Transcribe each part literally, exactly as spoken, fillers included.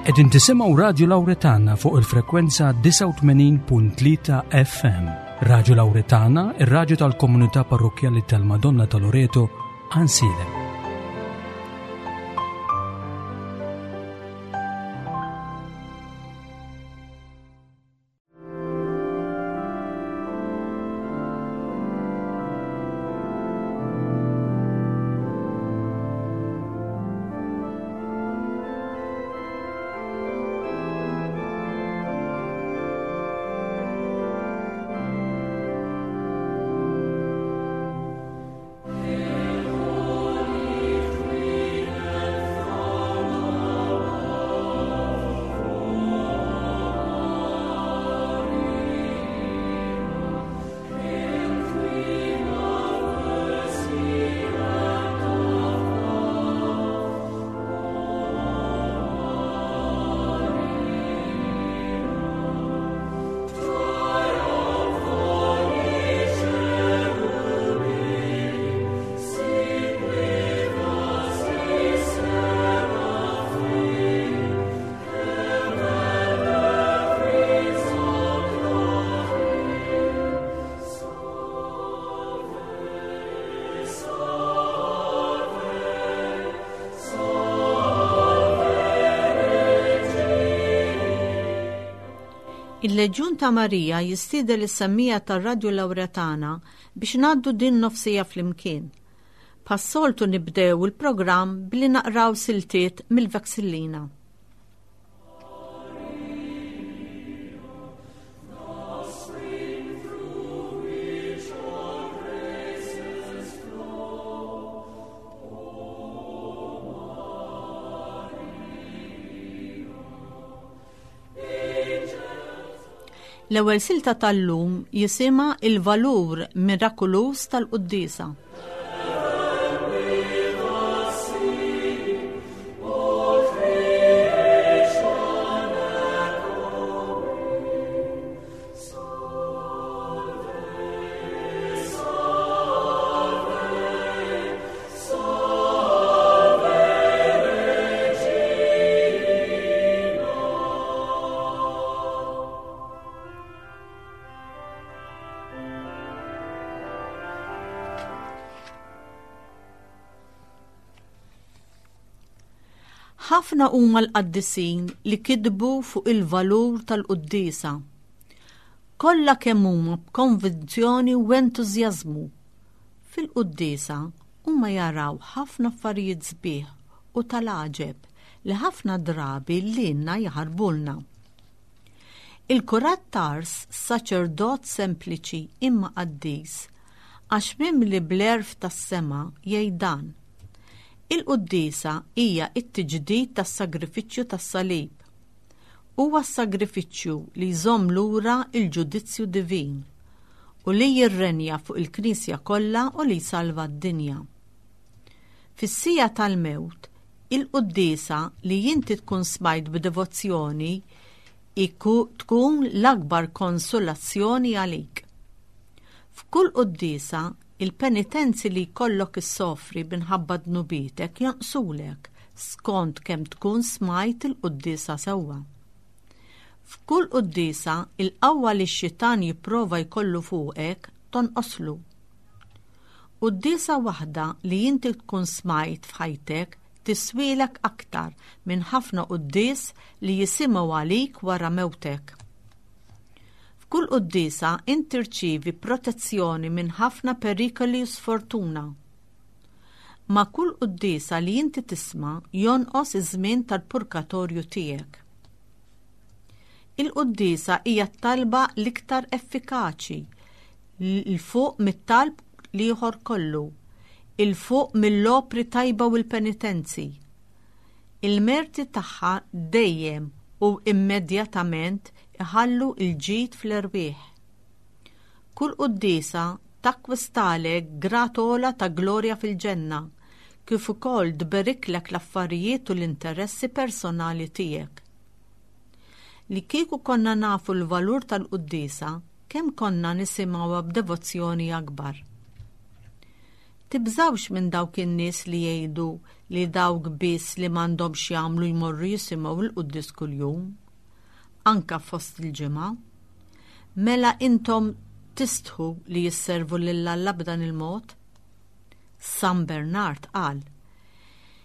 Qegħdin tisimgħu Radio Lauretana fuq il-frekwenza disgħa u tmenin punt tlieta F M. Radio Lauretana, ir-radju tal-Komunità Parrokkjali tal-Madonna ta' Loreto, Għajnsielem. Il-Leġjun ta' Marija jistieden lis-semmiegħa tar-Radju Lauretana biex ngħaddu din nofs siegħa flimkien. Bħas-soltu nibdew il-programm billi naqraw siltiet mill-Vexillina. L-ewwel silta tal-lum jisimha Il-valur mirakoluż tal-Quddiesa. Ħafna huma l-qaddisin li kitbu fuq il-valur tal-quddiesa. Kollha kemm huma b'konvinzjoni u entużjażmu. Fil-quddiesa huma jaraw ħafna affarijiet sbieħ u tal-għaġeb li ħafna drabi lilna jaħarbulna. Il-kurat t'Ars, saċerdot sempliċi imma qaddis, għax mimli bl-għerf tas-sema, jgħid dan: Il-quddiesa hija t-tiġdid tas-sagrifiċċju tas-salib. Huwa s-sagrifiċċju li jżomm lura il-ġudizzju divin u li jirrenja fuq il-Knisja kollha u li jsalva d-dinja. Fis-siegħa tal-mewt, il-quddiesa li inti tkun smajt b'devozzjoni tkun l-akbar konsolazzjoni għalik. F'kull quddiesa il-penitenzi li jkollok issofri minħabba dnubietek jonqsulek skont kemm tkun smajt il-quddiesa sewwa. F'kull quddiesa il-qawwa li x-xitan jipprova jkollu fuqek tonqoslu. Quddiesa waħda li inti tkun smajt f'ħajtek tiswielek aktar minn ħafna quddies li jisimgħu għalik wara mewtek. F'kull quddiesa int tirċievi protezzjoni minn ħafna perikoli u sfortuna. Ma' kull quddiesa li inti tisma' jonqos iż-żmien tal-purgatorju tiegħek. Il-quddiesa hija t-talba l-iktar effikaċi 'l fuq mit-talb l-ieħor kollu, 'il fuq mill-opri tajba u l-penitenzi. Il-merti tagħha dejjem u immedjatament iħallu il-ġid fl-erwieħ. Kull quddiesa takkwistalek grad ogħla ta' glorja fil-ġenna, kif ukoll tberiklek l-affarijiet u l-interessi personali tiegħek. Li kieku konna nafu l-valur tal-quddiesa, kemm konna nisimgħuha b'devozzjoni akbar. Tibżawx minn dawk in-nies li jgħidu li dawk biss li m'għandhomx jagħmlu jmorru jisimgħu l-quddies kuljum, anka fost il-ġimgħa. Mela intom tistħu li jisservu lil Alla b'dan il-mod? San Bernard qal: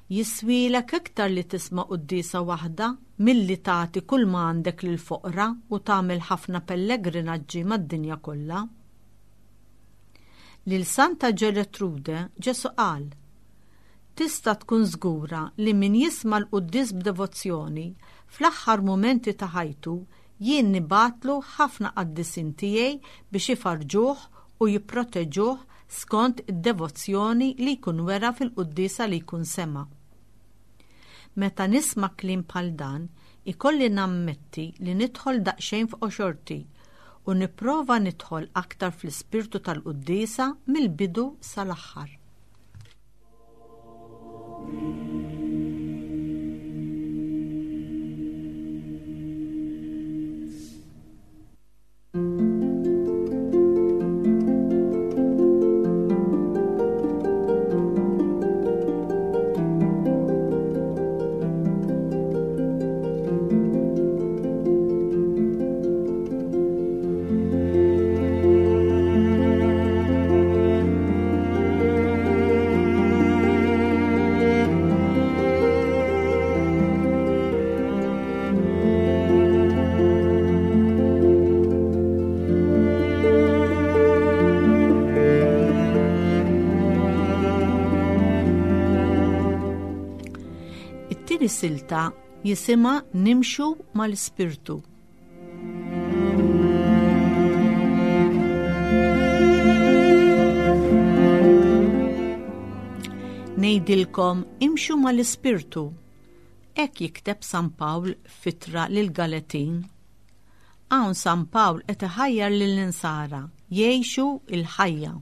Jiswilek iktar li tisma' quddiesa waħda milli tagħti kull ma għandek lil foqra u tagħmel ħafna pellegrinaġġi mad-dinja kollha. Lil Santa Ġeletrude Ġesu qal: Tista' tkun żgura li min jisma' l-quddies b'devozzjoni fl-aħħar mumenti ta' ħajtu jien nibgħatlu ħafna qaddisin tiegħi biex ifarġuh u jipproteġuh skont id-devozzjoni li jkun wera fil-quddiesa li jkun sema'. Meta nisma' kliem bħal dan, ikolli nammetti li nidħol daqsxejn f'qoxorti u nipprova nidħol aktar fl-ispirtu tal-quddiesa mill-bidu sal-aħħar. It-tieni silta jisimha Nimxu mal-Ispirtu. Ngħidilkom imxu mal-Ispirtu. Hekk jikteb San Pawl f'ittra lil Galatin. Hawn San Pawl qed iħajjar lill-insara jgħixu l-ħajja.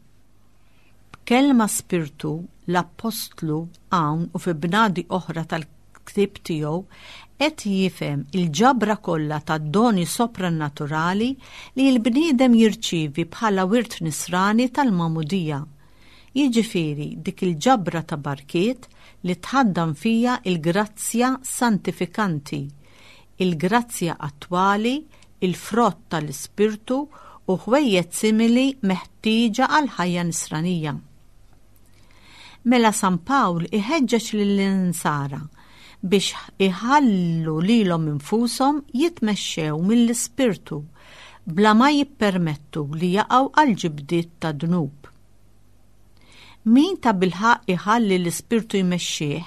B'kelma spirtu l-Appostlu hawn u fi bnadi oħra tal-ktieb tiegħu qed jifhem il-ġabra kollha tad-doni soprannaturali li l-bniedem jirċievi bħala wirt nisrani tal-magħmudija. Jiġifieri dik il-ġabra ta' barkiet li tħaddan fija il-grazzja santifikanti, il-grazzja attwali, il-frott tal-ispirtu u ħwejjeġ simili meħtieġa għall-ħajja nisranija. Mela San Pawl iħeġġeġ lill-insara biex iħallu lilhom infushom jitmexxew mill-ispirtu bla ma jippermettu li jaqgħu għal ġibdiet ta' dnub. Min ta' bilħaqq iħalli l-ispirtu jmexxih,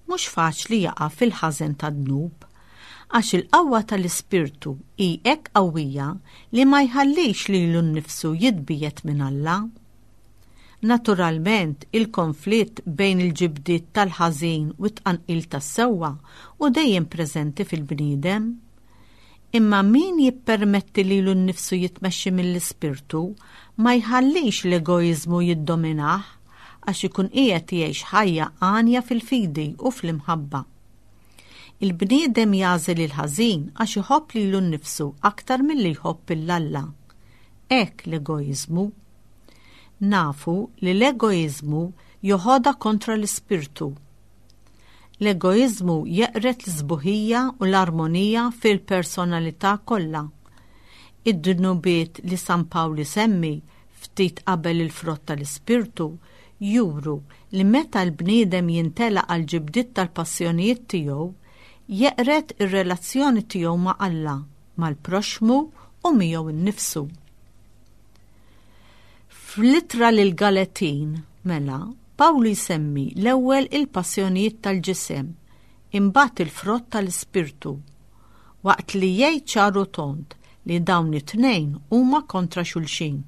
mhux faċli jaqa' fil-ħażen ta' dnub, għax il-qawwa tal-ispirtu hi hekk qawwija li ma jħallix lilu nnifsu jitbiegħed minn Alla. Naturalment, il-konflitt bejn il-ġibdiet tal-ħażin u t-tqanqil tas-sewwa u dejjem preżenti fil-bniedem. Imma min jippermetti lilu nnifsu jitmexxi mill-ispirtu ma jħallix l-egoiżmu jiddominah għax ikun qiegħed jgħix ħajja għanja fil-fidi u fl-imħabba. Il-bniedem jagħżel il-ħażin għax iħobb lilu nnifsu aktar milli jħobb lil Alla. Hekk l-egoiżmu. Nafu li l-egoiżmu joħodha kontra l-ispirtu. L-egoiżmu jeqred l-sbuħija u l-armonija fil-personalità kollha. Id-dnubiet li San Pawl isemmi ftit qabel il-frott tal-ispirtu juru li meta l-bniedem jintelaq għal ġibdiet tal-passjonijiet tiegħu, jeqred ir-relazzjoni tiegħu ma' Alla, mal-proxxmu u miegħu nnifsu. Fl-ittra lil Galatin, mela, Pawlu jsemmi l-ewwel il-passjonijiet tal-ġisem, imbagħad il-frott tal-ispirtu, waqt li jgħid ċar u tond li dawn it-tnejn huma kontra xulxin.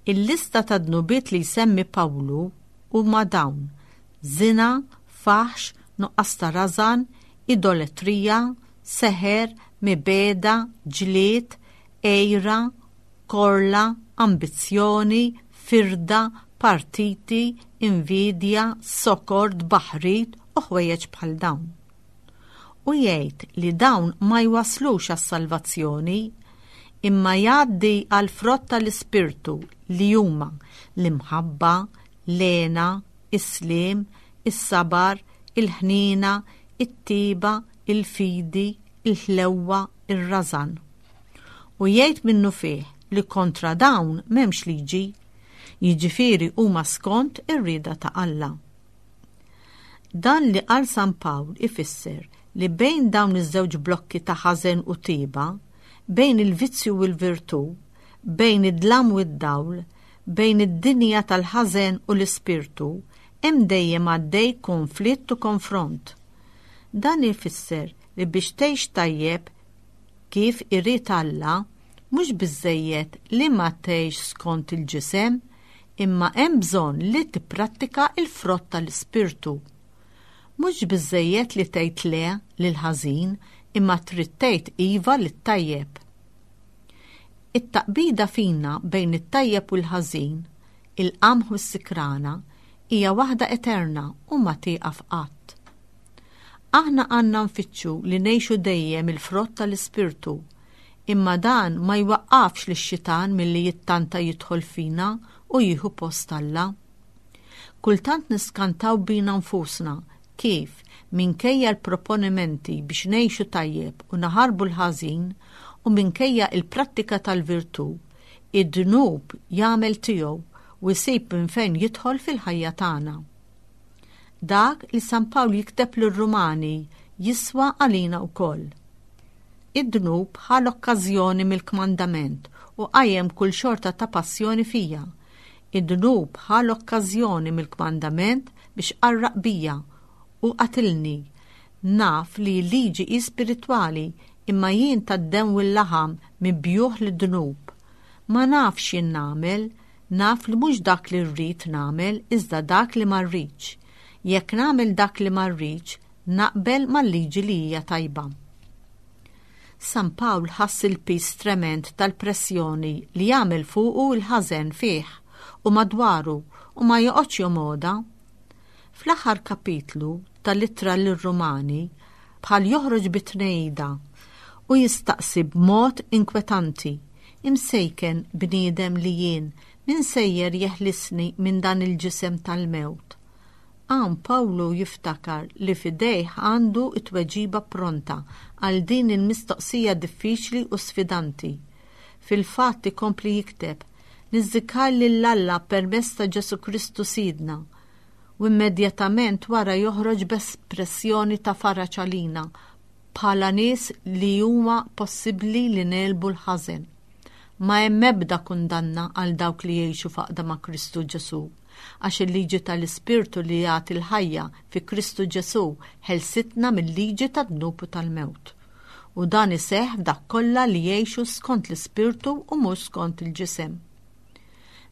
Il-lista ta' dnubiet li jsemmi Pawlu huma dawn: zina, faħx, nuqqas ta' rażan, idoletrija, seħer, mibegħda, ġlied, għira, korla, ambizzjoni, firda, partiti, invidja, sokor, tbaħrid u ħwejjeġ bħal dawn. U jgħid li dawn ma jwaslux għas-salvazzjoni, imma jgħaddi għal frott tal-ispirtu li huma l-imħabba, l-hena, is-sliem, is-sabar, il-ħniena, it-tiba, il-fidi, il-ħlewwa, ir-rażan. U jgħid minnufih li kontra dawn m'hemmx liġi, jiġifieri huma skont ir-rieda ta' Alla. Dan li qal San Pawl ifisser li bejn dawn iż-żewġ blokki ta' ħażen u tiba, bejn il-vizzju u l-virtù, bejn id-dlam u d-dawl, bejn id-dinja tal-ħażen u l-ispirtu, hemm dejjem għaddej konflitt u konfront. Dan ifisser li biex tgħix tajjeb kif irid Alla, mhux biżżejjed li ma tgħix skont il-ġisem, imma hemm bżonn li tipprattika il-frott tal-ispirtu. Mhux biżżejjed li tgħid le lil ħażin, imma trid tgħid iva lit-tajjeb. It-taqbida fina bejn it-tajjeb u l-ħażin, il-qamħ u s-sikrana, hija waħda eterna u ma tieqaf qatt. Aħna għandna nfittxu li ngħixu dejjem il-frott tal-ispirtu, imma dan ma jwaqqafx lix-xitan milli jittanta jidħol fina u jieħu post Alla. Kultant niskantaw bina nfusna kif minkejja l-proponimenti biex ngħixu tajjeb u naħarbu l-ħażin u minkejja il-prattika tal-virtù, id-dnub jagħmel tiegħu u jsib minn fejn jidħol fil-ħajja tagħna. Dak li San Pawl jikteb lir-Rumani jiswa għalina wkoll. Id-dnub ħa l-okkażjoni mill-kmandament u qajjem kull xorta ta' passjoni fija. Id-dnub ħa l-okkażjoni mill-kmandament biex qarraq bija u qatilni. Naf li l-liġi hi spiritwali imma jien tad-demm u l-laħam mibjugħ lid-dnub. Ma nafx jien nagħmel, naf li mhux dak li rrid nagħmel iżda dak li ma rridx. Jekk nagħmel dak li ma rridx, naqbel mal-liġi li hija tajba. San Pawl ħass il-piż tremend tal-pressjoni li jagħmel fuqu l-ħażen fih u madwaru u ma joqgħodx jomgħodha. Fl-aħħar kapitlu tal-ittra lir-Rumani bħal joħroġ bit-tnejda u jistaqsi b'mod inkwetanti: imsejken bniedem li jien, min sejjer jeħlisni minn dan il-ġisem tal-mewt? Hawn Pawlu jiftakar li f'idejh għandu t-tweġiba pronta għal din il-mistoqsija diffiċli u sfidanti. Fil-fatt ikompli jikteb: niżżikar lil Alla permezz ta' Ġesù Kristu Sidna. U immedjatament wara joħroġ b'espressjoni ta' faraġ għalina bħala nies li huma possibbli li negħlbu l-ħażen. Ma hemm ebda kundanna għal dawk li jgħixu f'għaqda ma' Kristu Ġesù, għax il-liġi tal-Ispirtu li jagħti l-ħajja fi Kristu Ġesù ħelsitna mill-liġi tad-dnub u tal-mewt. U dan iseħħ f'dak kollha li jgħixu skont l-Ispirtu u mhux skont il-ġisem.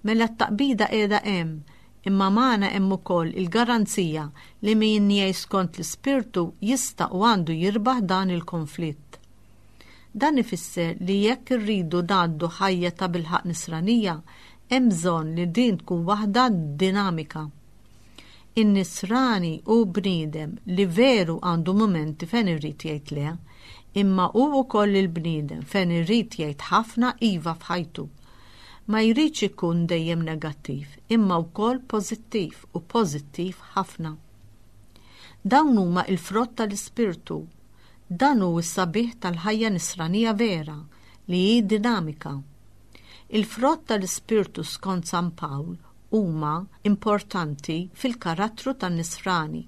Mela t-taqbida qiegħda hemm, imma magħna hemm ukoll il-garanzija li min jgħix skont l-Ispirtu jista' u għandu jirbaħ dan il-konflitt. Dan ifisser li jekk irridu ngħaddu ħajja ta' bilħaq nisranija, hemm bżonn li din tkun waħda dinamika. In-nisrani hu bniedem li veru għandu mumenti fejn irid jgħid le, imma hu wkoll il-bniedem fejn irid jgħid ħafna iva f'ħajtu. Ma jridx ikun dejjem negattiv, imma wkoll pożittiv u pożittiv ħafna. Dawn huma l-frott tal-Ispirtu. Dan hu s-sabiħ tal-ħajja nisranija vera li hi dinamika. Il-frott tal-Ispirtu skont San Pawl huma importanti fil-karattru tan-nisrani.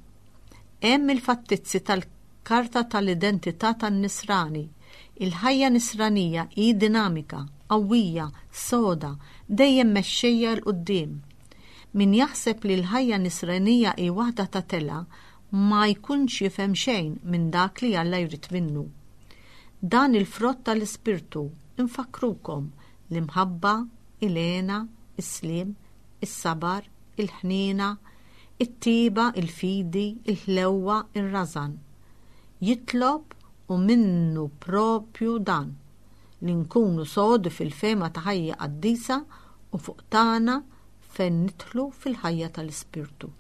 Hemm il-fattizzi tal-karta tal-identità tan-nisrani. Il-ħajja nisranija hi dinamika, qawwija, soda, dejjem mexxejja 'l quddiem. Min jaħseb li l-ħajja nisranija hi waħda ta' tela ma jkunx jifhem xejn minn dak li Alla jrid minnu. Dan il-frott tal-Ispirtu infakkrukom: l-imħabba, il-hena, is-sliem, is-sabar, il-ħniena, it-tiba, il-fidi, il-ħlewwa, ir-rażan. Jitlob u minnu propju dan li nkunu sodi fil-fema ta' ħajja qaddisa u fuq tagħna fejn nidħlu fil-ħajja tal-Ispirtu.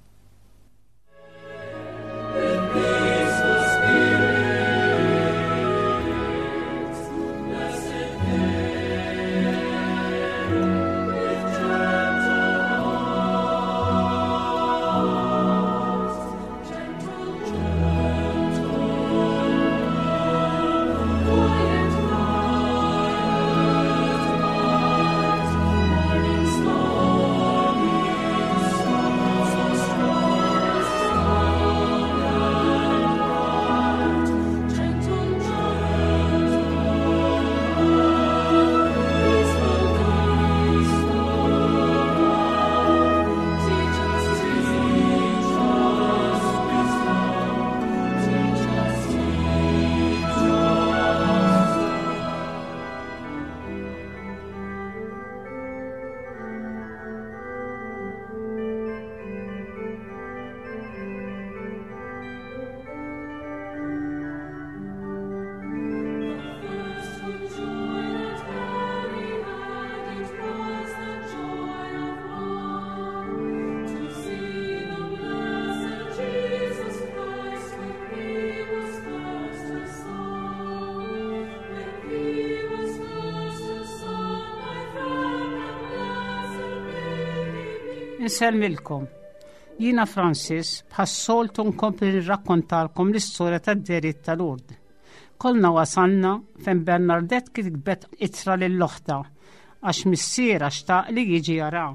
Insellmilkom. Jiena Francis, bħas-soltu nkompli nirrakkontalkom l-istorja tad-dehriet ta' Lourdes. Konna wasalna fejn Bernadette kitbet ittra lil oħtha għax missierha xtaq li jiġi jara.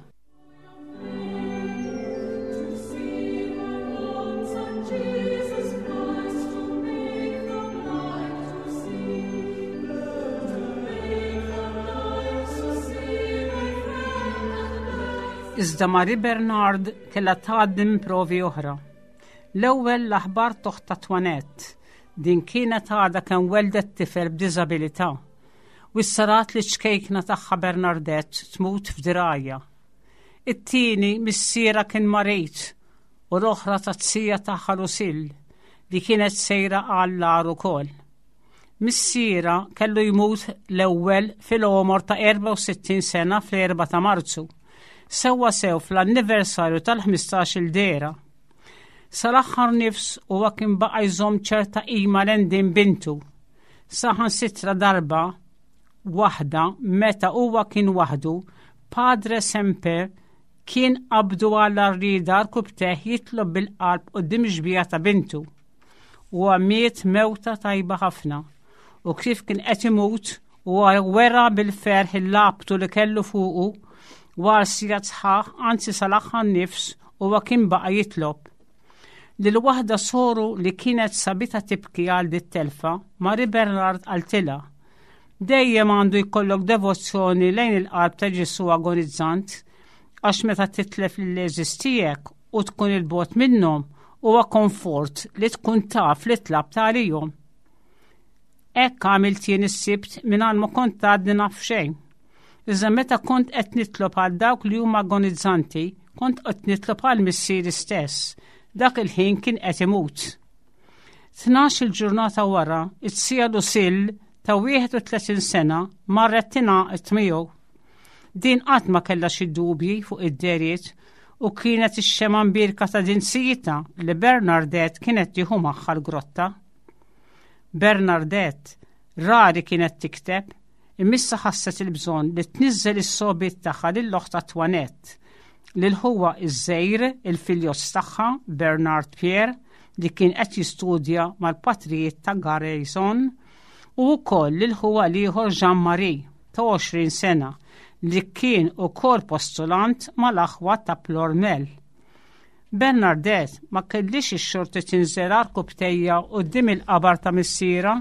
To see the Lord, Son Jesus Christ, to make the blind to see, to make the blind to see, my friend and blessed. Iżda Marie Bernard kellha tgħaddi minn provi oħra. L-ewwel l-aħbar t'oħtha Antoinette. Din kienet għadha kemm weldet tifel b'diżabilità. U issa rat liċ-ċkejkna tagħha Bernadette tmut f'dirgħajha. It-tieni missierha kien marid u l-oħra taz-zija tagħha Lucille li kienet sejra għall-agħar ukoll. Missierha kellu jmut l-ewwel fil-għomor ta' erbgħa u sittin sena fl-erbgħa ta' Marzu, sewwa sew fl-anniversarju tal-ħmistax-il dehra. Sal-aħħar nifs huwa kien baqa' jżomm ċerta qima lejn din bintu. Saħansitra darba waħda meta huwa kien waħdu, Padre Semper kien qabdu għal rieda rkupptejh jitlob bil-qalb quddiem xbieha ta' bintu. Huwa miet mewta tajba ħafna u kif kien qed imut huwa wera bil-ferħ il-labtu li kellu fuqu u għal sigħat sħaħ, anzi sal-aħħar nifs, huwa kien baqa' jitlob. Lil waħda soru li kienet sabitha tibki għal dit-telfa, Marie Bernard qaltilha: "Dejjem għandu jkollok devozzjoni lejn il-qalb ta' Ġesu agonizzant, għax meta titlef lill-għeżież tiegħek u tkun 'il bogħod minnhom, huwa komfort li tkun taf li tlabt għalihom. Hekk għamilt jien is-Sibt mingħajr ma kont għadni naf xejn. Iżda meta kont qed nitlob għal dawk li huma agonizzanti, kont qed nitlob għal missieri stess. Dak il-ħin kien qed imut." Tnax il-ġurnata wara, it-zija Lucille ta' wieħed u tletin sena marret tingħaqad miegħu. Din qatt ma kellha xi dubji fuq id-dehriet u kienet ix-xemgħa mbierka ta' din zijitha li Bernadette kienet tieħu magħha l-grotta. Bernadette rari kienet tikteb, imma issa ħasset il-bżonn li tniżżel is-sogħbiet tagħha lil oħtha Antoinette, lil ħuha iż-żgħir, il-filjos tagħha Bernard Pierre, li kien qed jistudja mal-patrijiet ta' Garrison, u wkoll lil ħuha l-ieħor Jean-Marie ta' għoxrin sena li kien ukoll postulant mal-aħwa ta' Ploermel. Bernadette ma kellix ix-xorti tinżel għarkupptejha quddiem il-qabar ta' missierha.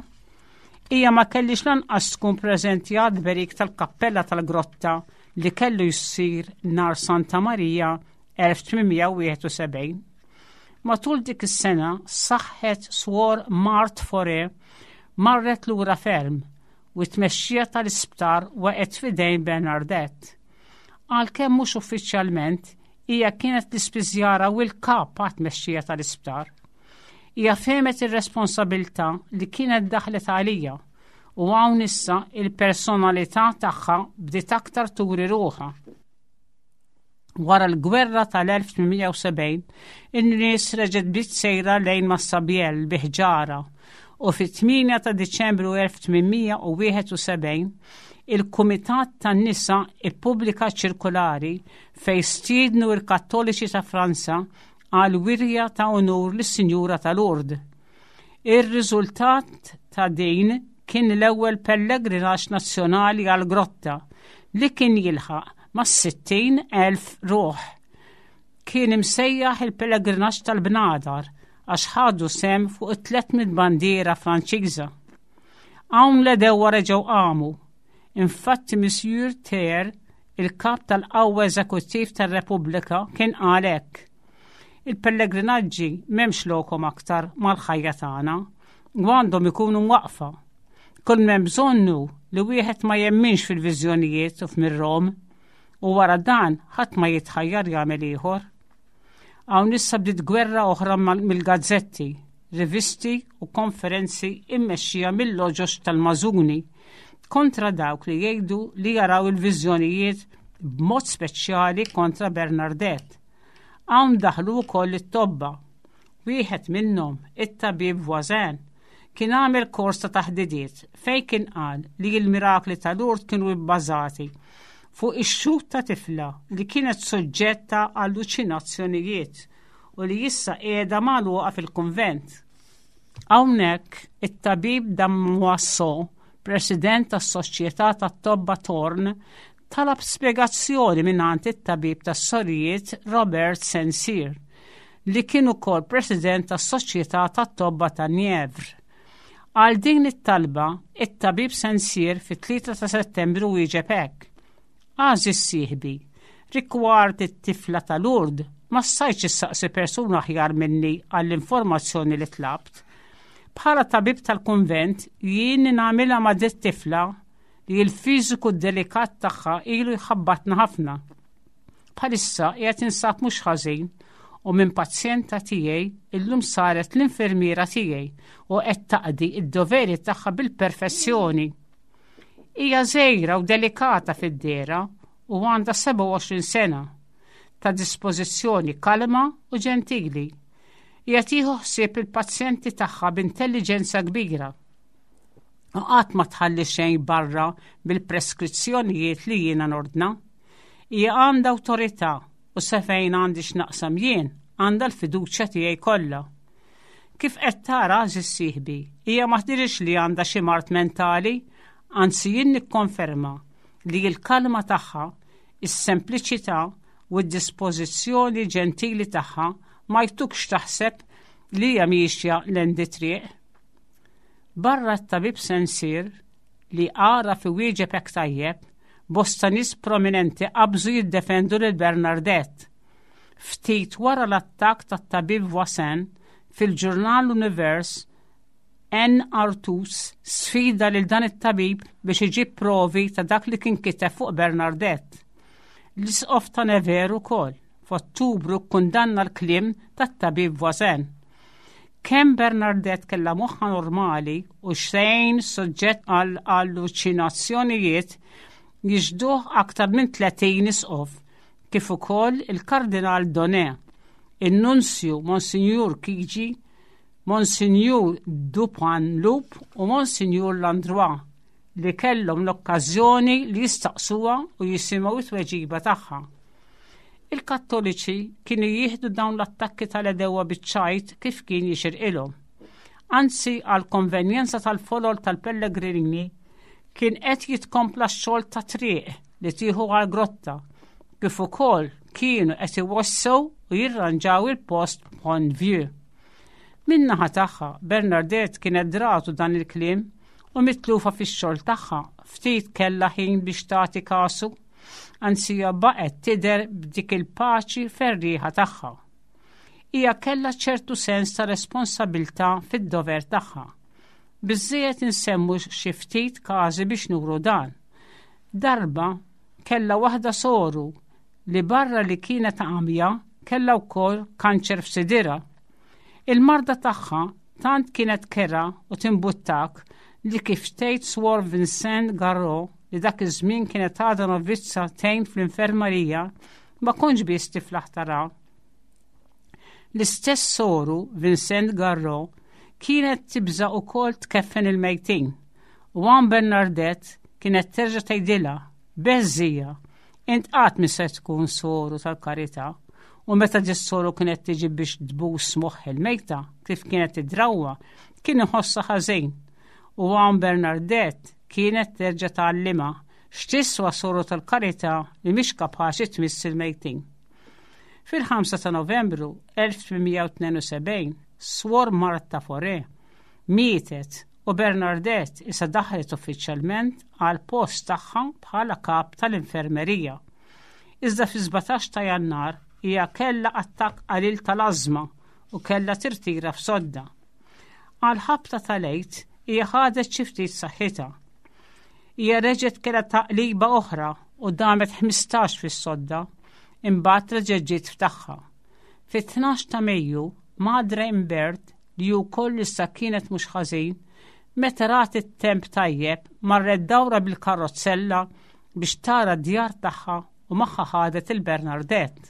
Hija ma kellix lanqas tkun preżenti għat-tberik tal-kappella tal-grotta li kellu jsir nhar Santa Marija elf tmien mija wieħed u sebgħin. Matul dik is-sena saħħet Swor Mart Fore marret lura ferm u t-tmexxija tal-isptar waqgħet f'idejn Bernadette. Għalkemm mhux uffiċjalment, hija kienet l-ispiżjara u l-kap għat-tmexxija tal-isptar. Hija fehmet ir-responsabilità li kienet daħlet għaliha u hawn issa il-personalità tagħha bdiet aktar turi ruħha. Wara l-gwerra tal-elf tmien mija u sebgħin, in-nies reġgħet bdiet sejra lejn Massabielle bi ħġarha u fit-tmienja ta' Diċembru elf tmien mija wieħed u sebgħin il-Kumitat tan-Nisa ippubblika ċirkulari fej stiednu il-Kattoliċi ta' Franza għal wirja ta' unur lis-Sinjura ta' Lourdes. Ir-riżultat ta' din kien l-ewwel pellegrinaġġ nazzjonali għal grotta li kien jilħaq ma' sittin elf ruħ. Kien imsejjaħ il-pellegrinaġġ tal-bnadar għax ħadu sehem fuq it-tliet mitt bandiera Franċiża. Hawn l-għedewwa reġgħu qamu. Infatti Monsieur Thiers, il-kap tal-qawwa eżekuttiv tar-Repubblika, kien qal hekk: "Il-pellegrinaġġi m'hemmx lokhom aktar mal-ħajja tagħna u għandhom ikunu mwaqfa. Kull m'hemm bżonnu li wieħed ma jemminx fil-viżjonijiet u f'mirrom u wara dan ħadd ma jitħajjar jagħmel ieħor." Hawn issa bdiet gwerra oħra mill-gazzetti, rivisti u konferenzi immexxija mill-loġoġ tal-mażuni kontra dawk li jgħidu li jaraw il-viżjonijiet, b'mod speċjali kontra Bernadette. Hawn daħlu wkoll it-tobba. Wieħed minnhom, it-tabib Voisin, kien għamel kors ta' taħdidiet fej kien qal li l-mirakli ta' Lourdes kienu bbażati fuq ix-xhud ta' tifla li kienet soġġetta alluċinazzjonijiet u li issa qiegħda magħluqa fil-kunvent. Hawnhekk it-tabib Damoiseau, president tas-Soċjetà tat-Tobba Torn, talab spjegazzjoni mingħand it-tabib tas-sorijiet Robert Saint-Cyr, li kien ukoll president tas-Soċjetà tat-Tobba ta' Nièvre. Għal din it-talba, it-tabib Saint-Cyr fit-tlieta ta' Settembru wieġeb hekk: "Għażiż sieħbi, rigward it-tifla ta' Lourdes, ma stajtx issaqsi persuna aħjar minni għall-informazzjoni li tlabt. Bħala tabib tal-konvent, jien nagħmilha ma' dit-tifla li l-fiżiku delikat tagħha ilu jħabbatna ħafna. Bħalissa qiegħed insab mhux ħażin u minn pazjenta tiegħi illum saret l-infermiera tiegħi u qed taqdi id-doveri tagħha bil-perfezzjoni. Hija żgħira u delikata fid-dehra u għandha sebgħa u għoxrin sena, ta' dispożizzjoni kalma u ġentili. Hija tieħu ħsieb il-pazjenti tagħha b'intelligenza kbira. U qatt ma tħalli xejn barra bil-preskrizzjonijiet li jiena nordna. Hija għandha awtorità u sefejn għandi x'naqsam jien għandha l-fiduċja tiegħi kollha. Kif qed tara, għażiż sieħbi, hija ma tdirix li għandha xi mard mentali, anzi jien nikkonferma li l-kalma tagħha, is-sempliċità u d-dispożizzjoni ġentili tagħha ma jtukx taħseb li hija miexja l-triq." Barra t-tabib Saint-Cyr li għaraf iwieġeb hekk tajjeb, bosta nies prominenti qabżu jiddefendu lil Bernadette. Ftit wara l-attakk tat-tabib Voisin, fil-ġurnal Univers, N. Artus sfida lil dan it-tabib biex iġib provi ta' dak li kien kiteb fuq Bernadette. L-isqof ta' Nevers ukoll f'Ottubru kundanna l-kliem tat-tabib Voisin. Kemm Bernadette kella moħħa normali u xejn soġġett għal alluċinazzjonijiet jixhduh aktar minn tletin isqof, kif ukoll il-Kardinal Donnet, il-Nunzju Monsignor Chigi, Monsignor Dupanloup u Monsignor Landrois, li kellhom l-okkażjoni li jistaqsuha u jisimgħu it-tweġiba tagħha. Il-Kattoliċi kienu jieħdu dawn l-attakki tal-għedewwa biċ-ċajt kif kien jixirqilhom. Anzi, għal konvenjenza tal-folol tal-pellegrini kien qed jitkompla x-xogħol ta' triq li tieħu għal-grotta, kif ukoll kienu qed iwessgħu u jirranġaw il-post Pont Vieux. Min-naħa tagħha, Bernadette kienet dratu dan il-kliem u mitlufa fix-xogħol tagħha ftit kellha ħin biex tagħti kasu, anzi hija baqgħet tidher b'dik il-paċi ferrieħa tagħha. Hija kellha ċertu sens ta' responsabilità fid-dover tagħha. Biżżejjed insemmu xi ftit każi biex nuru dan. Darba kellha waħda soru li barra li kienet għamja kellha wkoll kanċer f'sidirha. Il-marda tagħha tant kienet kerha u timbuttak li, kif tgħid Swor Vincent Garro, li dak iż-żmien kienet għadha novizza tgħin fl-infermerija, ma kontx biss tiflaħ tara. L-istess soru Vincent Garro kienet tibża ukoll tkeffen il-mejtin. U hawn Bernadette kienet terġa' tgħidilha: "Beżżija, int qatt mi se tkun soru tal-karità." U meta dis-soru kienet tiġi biex tbus moħħ il-mejta, kif kienet id-drawwa, kien iħossha ħażin. U hawn Bernadette kienet terġa' tgħallimha x'tiswa soru tal-karità li mhix kapaċi tmiss il-mejtin. Fil-ħamsa ta' Novembru elf tmien mija u tnejn u sebgħin, Swor Marta Fore mietet u Bernadette issa daħlet uffiċjalment għal post tagħha bħala kap tal-infermerija. Iżda fi sbatax ta' Jannar hija kellha attakk qalil tal-ażma u kellha tirtira f'sodda. Għal ħabta tal-Għid hija ħadet xi ftit saħħitha. Hija reġgħet kellha taqliba oħra u damet ħmistax fis-sodda, imbagħad reġgħet ġiet f'tagħha. Fit-tnax ta' Mejju, Madre Imbert, li wkoll issa kienet mhux ħażin, meta rat it-temp tajjeb, marret dawra bil-karozzella biex tara d-djar tagħha u magħha ħadet il-Bernadette.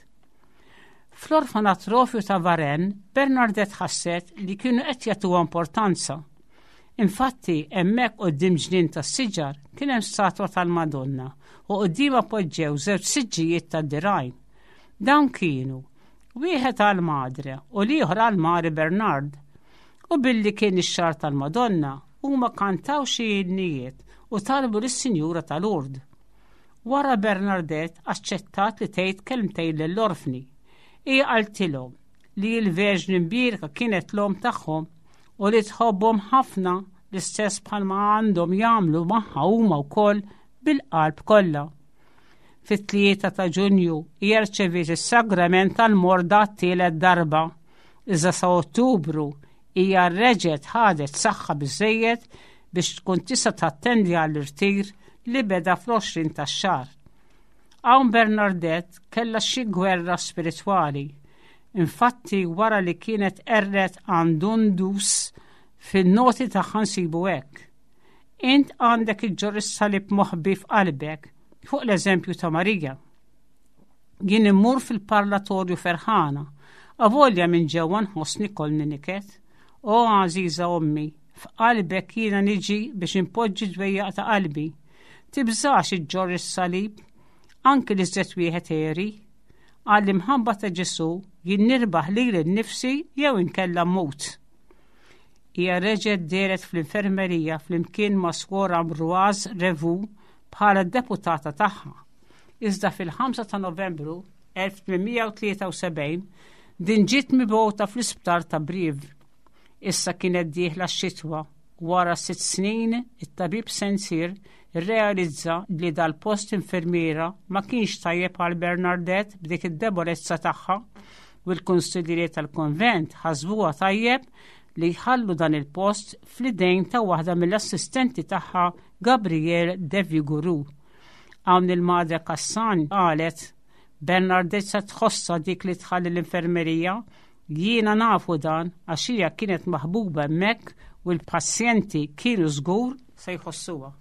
Fl-orfanatrofju ta' Varennes, Bernadette ħasset li kienu qed jagħtuha importanza. Infatti, hemmhekk quddiem ġnien tas-siġar kien hemm statwa tal-Madonna u quddiemha poġġew żewġ siġġijiet tad-dirgħajn. Dawn kienu wieħed għal Madre u l-ieħor għal Mari Bernard. U billi kien ix-xahar tal-Madonna, huma kantaw xi innijiet u talbu lis-Sinjura ta' Lourdes. Wara Bernadette aċċettat li tgħid kelmtejn lill-orfni. Hija qaltilhom li l-Verġni Mbierka kienet l-omm tagħhom u li tħobbhom ħafna, l-istess bħalma għandhom jagħmlu magħha huma wkoll bil-qalb kollha. Fit-tlieta ta' Ġunju hija rċeviet is-sagrament tal-morda t-tielet darba. Iżda sa Ottubru hija reġgħet ħadet saħħa biżejjed biex tkun tista' tattendi għall-irtir li beda fl-għoxrin tax-xahar. Hawn Bernadette kellha xi gwerra spiritwali. Infatti, wara li kienet qerret għand Dun Dus, fin-noti tagħha nsibu hekk: "Int għandek iġġorr is-salib moħbi f'qalbek fuq l-eżempju ta' Marija. Jien immur fil-parlatorju ferħana, avolja minn ġewwa nħossni kollni niket. O għażiża ommi, f'qalbek jiena niġi biex impoġġi dwejjaq ta' qalbi. Tibżax iġġorr is-salib, anki l-iżjed wieħed għeri. Għall-imħabba ta' Ġesu jien nirbaħ lili nnifsi jew inkella mmut." Hija reġgħet dehret fl-infermerija flimkien ma' Swor Ambroise Revu bħala deputata tagħha. Iżda fil-ħamsa ta' Novembru elf tmien mija u tlieta u sebgħin din ġiet mibgħuta fl-isptar ta' Brive. Issa kienet dieħla x-xitwa. Wara sitt snin, it-tabib Sensir irrealizza li dal-post infermiera ma kienx tajjeb għal Bernadette b'dik id-debolezza tagħha u l-konsillieri tal-konvent ħasbuha tajjeb li jħallu dan il-post fl-idejn ta' waħda mill-assistenti tagħha, Gabrielle de Viguru. Hawn il-Madre Cassan qalet: "Bernadette se tħossa dik li tħalli l-infermerija, jiena nafu dan għax hija kienet maħbuba hemmhekk u l-pazjenti kienu żgur se jħossuha."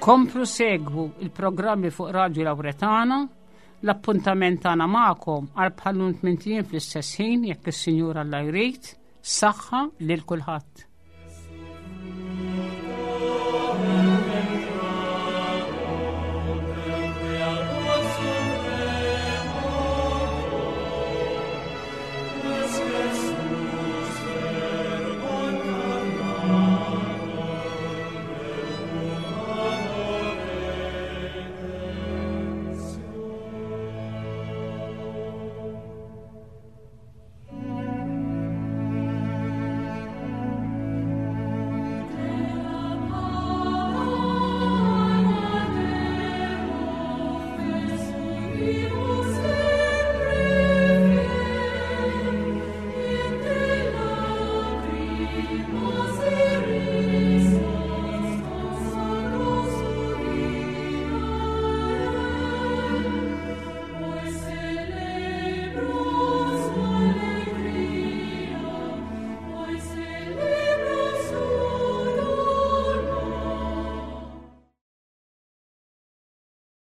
Komplu segwu il-programmi fuq Radio Lauretana. L-appuntament tagħna magħkom għal bħal-lum tmint ijiem fl-istess ħin, jekk is-Sinjur Alla jrid. Saħħa lil kulħadd.